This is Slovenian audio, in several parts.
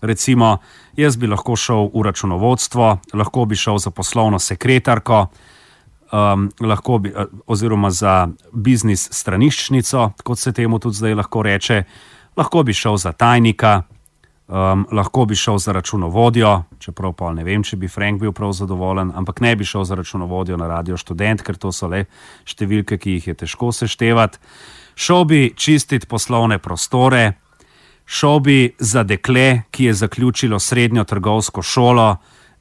Recimo, jaz bi lahko šel v računovodstvo, lahko bi šel za poslovno sekretarko, lahko bi, oziroma za biznis straniščnico, kot se temu tudi zdaj lahko reče, lahko bi šel za tajnika, lahko bi šel za računovodjo, čeprav pa ne vem, če bi Frank bil prav zadovoljen, ampak ne bi šel za računovodjo na Radio Študent, ker to so le številke, ki jih je težko seštevati. Šel bi čistiti poslovne prostore, šel bi za dekle, ki je zaključilo srednjo trgovsko šolo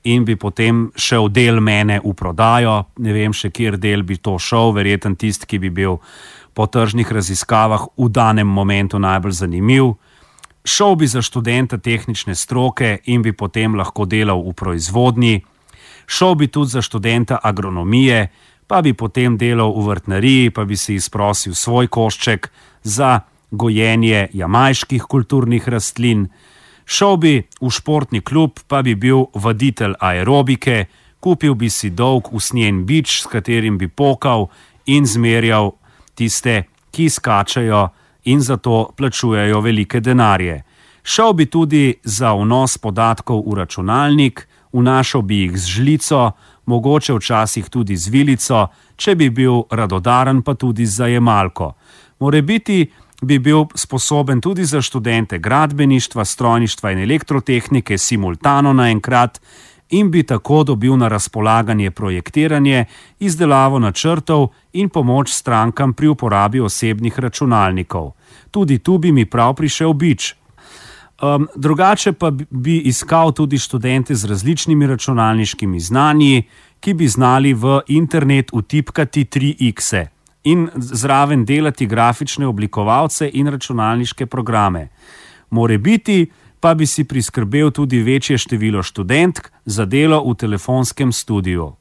in bi potem šel del mene v prodajo. Ne vem še, kjer del bi to šel, verjetno tisti, ki bi bil po tržnih raziskavah v danem momentu najbolj zanimiv. Šel bi za študenta tehnične stroke in bi potem lahko delal v proizvodnji. Šel bi tudi za študenta agronomije, pa bi potem delal v vrtnariji, pa bi si izprosil svoj košček za gojenje jamajških kulturnih rastlin. Šel bi v športni klub, pa bi bil vaditelj aerobike, kupil bi si dolg usnjen bič, s katerim bi pokal in zmerjal tiste, ki skačajo in zato plačujejo velike denarje. Šel bi tudi za vnos podatkov v računalnik, vnašal bi jih z žlico, mogoče včasih tudi z vilico, če bi bil radodaren, pa tudi z zajemalko. Morebiti bi bil sposoben tudi za študente gradbeništva, strojništva in elektrotehnike simultano naenkrat in bi tako dobil na razpolaganje projektiranje, izdelavo načrtov in pomoč strankam pri uporabi osebnih računalnikov. Tudi tu bi mi prav prišel bič. Drugače pa bi iskal tudi študente z različnimi računalniškimi znanji, ki bi znali v internet vtipkati 3x in zraven delati grafične oblikovalce in računalniške programe. Morebiti pa bi si priskrbel tudi večje število študentk za delo v telefonskem studiu.